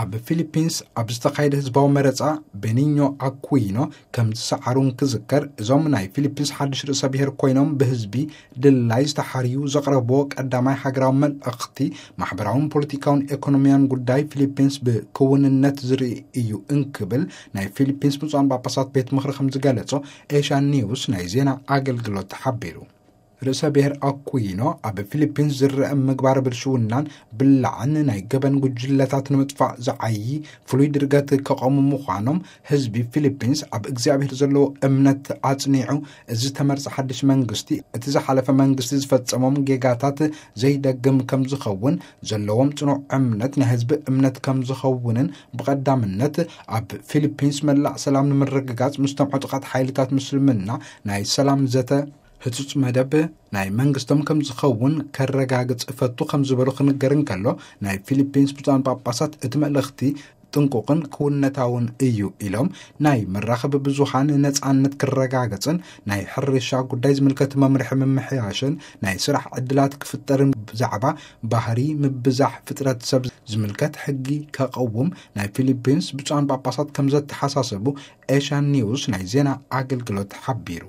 ኣብ ፊሊፒንስ ኣብ ዝተኻየደ ህዝባዊ መረጻ ቤኒኞ ኣኩይኖ ከም ዝሰዓሩ እንክዝከር፣ እዞም ናይ ፊሊፒንስ ሓድሽ ርእሰ ብሔር ኮይኖም ብህዝቢ ድላይ ዝተሓርዩ ዘቕረብዎ ቀዳማይ ሃገራዊ መልእኽቲ፣ ማሕበራውን ፖለቲካውን ኤኮኖሚያን ጉዳይ ፊሊፒንስ ብክውንነት ዝርኢ እዩ እንክብል ናይ ፊሊፒንስ ብፁዓን ጳጳሳት ቤት ምኽሪ ከም ዝገለጾ ኤሽያን ኒውስ ናይ ዜና ኣገልግሎት ሓቢሩ። ርእሰ ብሔር ኣኩይኖ ኣብ ፊሊፒንስ ዝረአ ምግባር ብልሽውናን ብላዕን ናይ ገበን ጉጅለታት ንምጥፋእ ዝዓዪ ፍሉይ ድርገት ከቐሙ ምዃኖም፣ ህዝቢ ፊሊፒንስ ኣብ እግዚኣብሔር ዘለዎ እምነት ኣጽኒዑ፣ እዚ ዝተመርጸ ሓድሽ መንግስቲ እቲ ዝሓለፈ መንግስቲ ዝፈጸሞም ጌጋታት ዘይደግም ከም ዝኸውን ዘለዎም ጽኑዕ እምነት ናይ ህዝቢ እምነት ከም ዝኸውንን፣ ብቐዳምነት ኣብ ፊሊፒንስ መላእ ሰላም ንምርግጋጽ ምስቶም ዕጡቓት ሓይልታት ምስልምና ናይ ሰላም ዘተ ህጹጽ መደብ ናይ መንግስቶም ከም ዝኸውን ከረጋግጽ እፈቱ ከም ዝበሉ ክንገር እንከሎ፣ ናይ ፊሊፒንስ ብፁዓን ጳጳሳት እቲ መልእኽቲ ጥንቁቕን ክውነታውን እዩ ኢሎም፣ ናይ መራኸቢ ብዙሃን ነጻነት ክረጋገጽን ናይ ሕርሻ ጉዳይ ዝምልከት መምርሒ ምምሕያሽን ናይ ስራሕ ዕድላት ክፍጠርን ብዛዕባ ባህሪ ምብዛሕ ፍጥረት ሰብ ዝምልከት ሕጊ ከቐውም ናይ ፊሊፒንስ ብፁዓን ጳጳሳት ከም ዘተሓሳሰቡ ኤሽያን ኒውስ ናይ ዜና ኣገልግሎት ሓቢሩ።